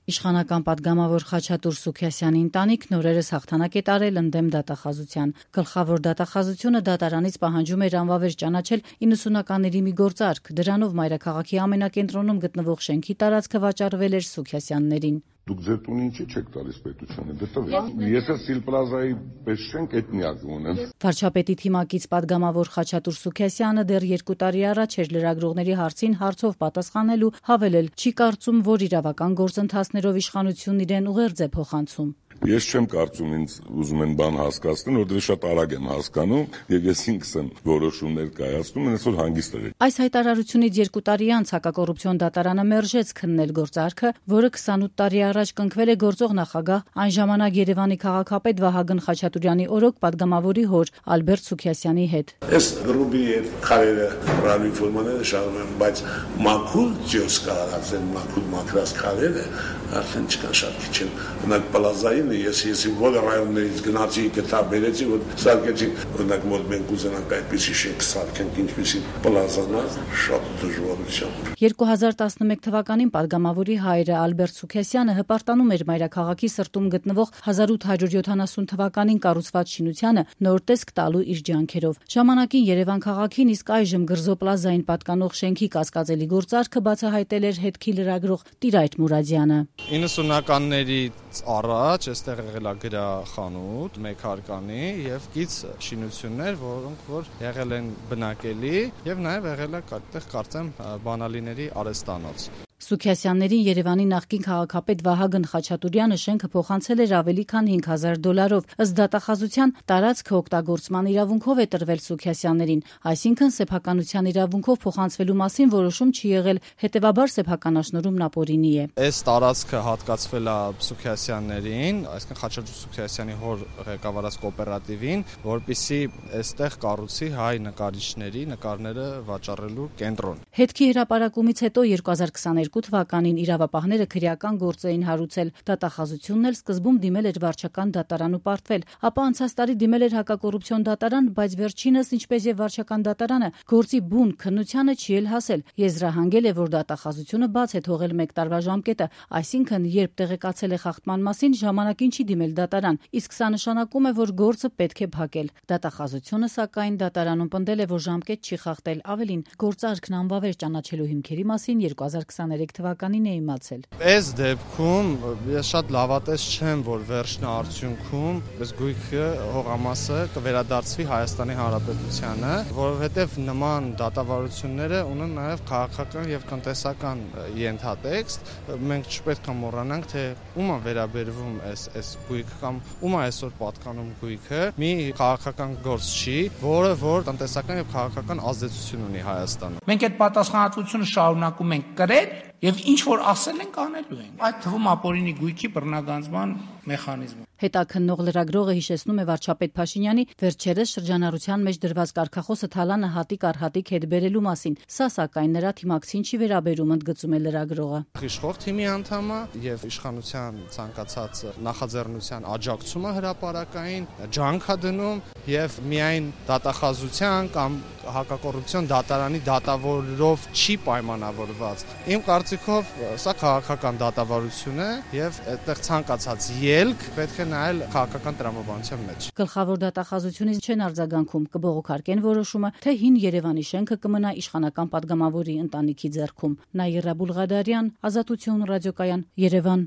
Իշխանական պատգամավոր Խաչատուր Սուքիասյանի ընտանիքն օրերս հաղթանակ է տարել ընդդեմ դատախազության։ Գլխավոր դատախազությունը դատարանից պահանջում էր անվավեր ճանաչել 90-ականների մի գործարք։ Դրանով մայրաքաղաքի ամենակենտրոնում գտնվող շենքի տարածքը վաճառվել էր Սուքիասյաններին։ Դուք ձեր տունը ինչի չեք տալիս պետությանը, դտվեք։ Եթե Սիլպլազայի պես չենք, այդ միակը ունեմ։ Վարչապետի թիմակից պատգամավոր Խաչատուր Սուքիասյանը դեռ 2 տարի առաջ էր լրագրողների հարցին հարցով պատասխանելու հավելել, չի կարծում, որ իրավական գործընթացներով իշխանությունն իրեն ուղերձ է փոխանցում։ Ես չեմ կարծում ինձ ուզում են բան հասկացնել, որտեղ շատ արագ եմ հասկանում եւ ես ինքս եմ որոշումներ կայացնում, այնպես որ հանգիստ եղեք։ Այս հայտարարությունից 2 տարի անց հակակոռուպցիոն դատարանը մերժեց քննել գործարքը, որը 28 տարի առաջ կնքվել է գործող նախագահ, այն ժամանակ Երևանի քաղաքապետ Վահագն Խաչատուրյանի օրոք պատգամավորի հոր Ալբերտ Սուքիասյանի հետ։ Այս գրուպի քարերը ռալի ֆորմաները շարում են, բայց մաքուր ջոս կարածեն, մաքուր մակրած քարերը արդեն չկան շատ քիչ են։ Օրինակ պլազային ես բոլոր ռայոններից գնացի, գտա բերեցի, որ սարքեցի, օրինակ մոտ մենք ուզենանք այդպիսի շենք սարքենք, ինչպիսի պլազանա, շատ դժվարությամբ։ 2011 թվականին պատգամավորի հայրը Ալբերտ Սուքիասյանը հպարտանում էր մայրաքաղաքի սրտում գտնվող 1870 թվականին կառուցված շինությանը նոր տեսք տալու իր ջանքերով։ Ժամանակին Երևան քաղաքին, իսկ այժմ Գրզո պլազային պատկանող շենքի կասկածելի գործարքը բացահայտել էր հետքի լրագրող Տիրայր Մուրադյանը։ 90-ականներից առաջ այստեղ եղել է գրախանութ, մեկ հարկանի եւ կից շինություններ, որոնք որ եղել են բնակելի եւ նաեւ եղել է այդտեղ կարծեմ բանալիների արհեստանոց։ Սուքիասյաններին Երևանի նախկին քաղաքապետ Վահագն Խաչատուրյանը շենքը փոխանցել էր ավելի քան $5,000։ Ըստ դատախազության տարածքը օգտագործման իրավունքով է տրվել Սուքիասյաններին, այսինքն սեփականության իրավունքով փոխանցվելու մասին որոշում չի եղել, հետևաբար սեփականաշնորհումն ապօրինի է։ Այս տարածքը հատկացվել է Սուքիասյաններին, այսինքն Խաչատուր Սուքիասյանի հոր ղեկավարած կոոպերատիվին, որպեսզի այստեղ կառուցի հայ նկարիչների նկարները վաճառելու կենտրոն։ Հետքի հրապարակումից հետո 2022 թվականին իրավապահները քրեական գործ էին հարուցել։ Դատախազությունն էլ սկզբում դիմել էր վարչական դատարան ու պարտվել, ապա անցած տարի դիմել էր հակակոռուպցիոն դատարան, բայց վերջինս, ինչպես եւ վարչական դատարանը, գործի բուն քննությանը չի էլ հասել։ Եզրահանգել է, որ դատախազությունը բաց է թողել 1 տարվա ժամկետը, այսինքն երբ տեղեկացել է խախտման մասին, ժամանակին չի դիմել դատարան, իսկ սա նշանակում է, որ գործը պետք է փակել։ Դատախազությունը սակայն դատարանում պնդել է, որ ժամկետ չի խախտել, ավելին, գործարքն անվավեր ճանաչելու հիմքերի մասին 2023 թվականին է իմացել։ Այս դեպքում ես շատ լավատես չեմ, որ վերջնա արդյունքում այս գույքը հողամասը կվերադարձվի Հայաստանի Հանրապետությանը, որովհետև նման դատավարությունները ունեն նաև քաղաքական եւ տնտեսական ենթատեքստ։ Մենք չպետք է մոռանանք, թե ում է վերաբերվում այս գույքը կամ ում է այսօր պատկանում գույքը։ Մի քաղաքական գործ չի, որը որ տնտեսական եւ քաղաքական ազդեցություն ունի Հայաստանում։ Մենք այդ պատասխանատվությունը շարունակում ենք կրել եւ ինչ որ ասել ենք անելու ենք։ Այդ թվում ապօրինի գույքի բռնագանձման մեխանիզմը։ Հետաքննող լրագրողը հիշեցնում է վարչապետ Փաշինյանի վերջերս շրջանառության մեջ դրված կարգախոսը թալանը հատիկ առ հատիկ հետ բերելու մասին։ Սա սակայն նրա թիմակցին չի վերաբերում, ընդգծում է լրագրողը։ Իշխող թիմի անդամը եւ իշխանության ցանկացած նախաձեռնության աջակցումը հրապարակային ջանք է դնում եւ միայն դատախազության կամ հակակոռուպցիոն դատարանի դատավորով չի պայմանավորված։ Իմ կարծիքով սա քաղաքական դատավարություն է եւ այդտեղ ցանկացած ելք պետք է նայել քաղաքական տրամաբանության մեջ։ Գլխավոր դատախազությունից չեն արձագանքում, կբողոքարկեն որոշումը, թե հին Երևանի շենքը կմնա իշխանական պատգամավորի ընտանիքի ձեռքում։ Նաիրա Բուլղադարյան, Ազատություն ռադիոկայան, Երևան։